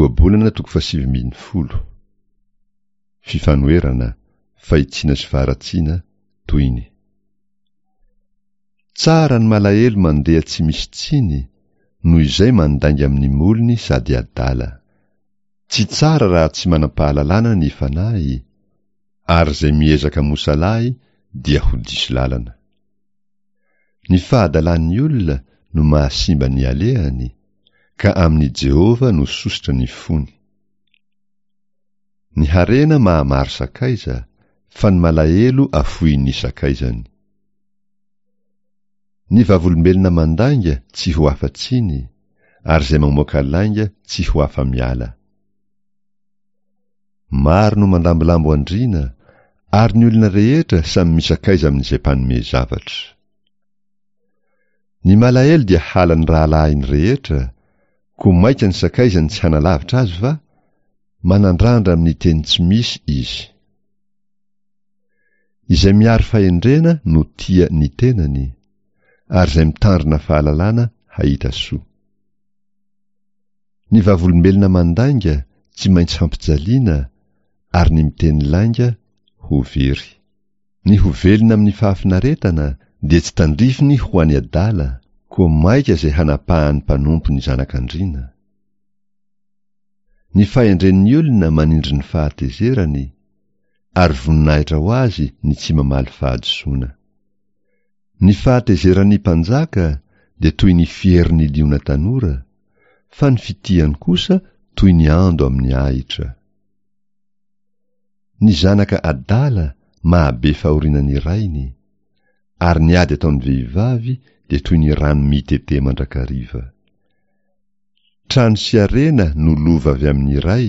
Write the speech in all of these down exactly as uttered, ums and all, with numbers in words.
Ohabolana toko fahasivy ambin'ny folo. Fifanoherana, fahitsiana sy faharatsiana, tohiny. Tsara ny malahelo mandeha tsy misy tsiny, noho izay mandainga amin'ny molony sady adala. Tsy tsara raha tsy manam-pahalalana ny fanahy, ary izay miezaka mosalahy dia ho diso lalana. Ny fahadalan'ny olona no mahasimba ny alehany, ka amin'i Jehovah no sosotra ny fony. Ny harena mahamaro sakaiza, fa ny malahelo afoin'ny sakaizany. Ny vavolombelona mandainga tsy ho afa-tsiny, ary izay mamoaka lainga tsy ho afa-miala. Maro no mandambolambo andriana, ary ny olona rehetra samy misakaiza amin'izay mpanome zavatra. Ny malahelo dia halan'ny rahalahiny rehetra, koa maika ny sakaizany tsy hanalavitra azy va? Manandrandra amin'ny teny tsy misy izy. Izay miaro fahendrena no tia ny tenany, ary izay mitandrina fahalalana hahita soa. Ny vavolombelona mandainga tsy maintsy hampijaliana, ary ny miteny lainga ho very. Ny ho velona amin'ny fahafinaretana dia tsy tandrifiny ho an'ny adala, koa maika izay hanapahan'ny mpanompo ny zanak'andriana. Ny fahendren'ny olona manindry ny fahatezerany, ary voninahitra ho azy ny tsy mamaly fahadisoana. Ny fahatezeran'ny mpanjaka dia toy ny fierin'ny liona tanora, fa ny fitiany kosa toy ny ando amin'ny ahitra. Ny zanaka adala mahabe fahoriana ny rainy, ary ny ady ataon'ny vehivavy dia toy ny rano mitete mandrakariva. Trano sy harena no lova avy amin'ny ray,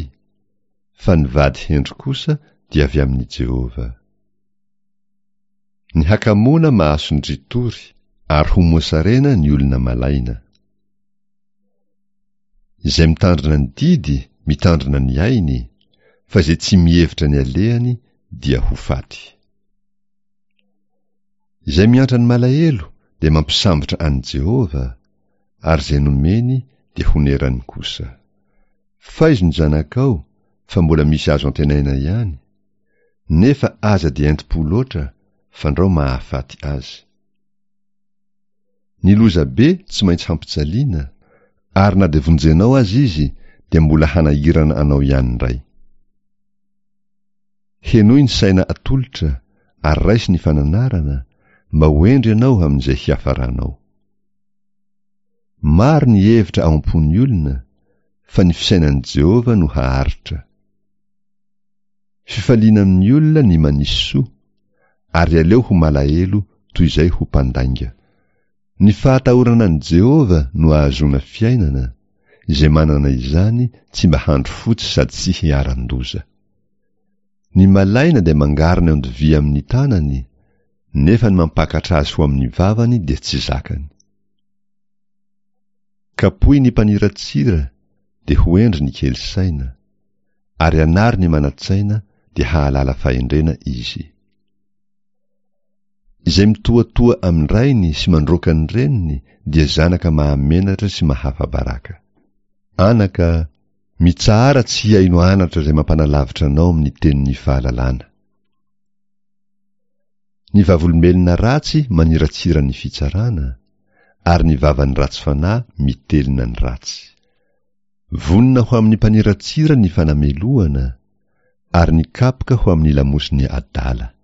fa ny vady hendry kosa dia avy amin'i Jehovah. Ny hakamoana mahasondritory, ary ho mosarena ny olona malaina. Izay mitandrina ny didy mitandrina ny ainy, fa izay tsy mihevitra ny alehany dia ho faty. Izay miantra ny malahelo dia mampisambotra an'i Jehovah, ary izay nomeny dia honerany kosa. Faizo ny zanakao fa mbola misy azo antenaina ihany, nefa aza dia entim-po loatra fandrao mahafaty azy. Ny lozabe tsy maintsy hampijaliana, ary na dia vonjenao aza izy dia mbola hanahirana anao ihany indray. Henoy ny saina atolotra ary raiso ny fananarana mba ho hendry ianao amin'izay hiafaranao. Maro ny hevitra ao am-pon'ny olona, fa ny fisainan'i Jehovah no haharitra. Fifaliana amin'ny olona ny manisy soa, ary aleo ho malahelo toy izay ho mpandainga. Ny fahatahorana an'i Jehovah no ahazoana fiainana, izay manana izany tsy mba handro fotsy sady tsy hiharan-doza. Ny malaina dia mangarona eo an-dovia amin'ny tanany, nefa ny mampakatra azy ho amin'ny vavany dia tsy zakany. Kapohy ny mpaniratsira dia ho hendry ny kely saina, ary anaro ny manan-tsaina dia hahalala fahendrena izy. Izay mitohatoha amin'ny rainy sy mandroaka ny reniny dia zanaka mahamenatra sy mahafa-baraka. Anaka, mitsahara tsy hihaino anatra izay mampanalavitra anao amin'ny tenin'ny fahalalana. Ny vavolombelona ratsy maniratsira ny fitsarana, ary ny vavan'ny ratsy fanahy mitelina ny ratsy. Vonona ho amin'ny mpaniratsira ny fanamelohana, ary ny kapoka ho amin'ny lamosin'ny adala.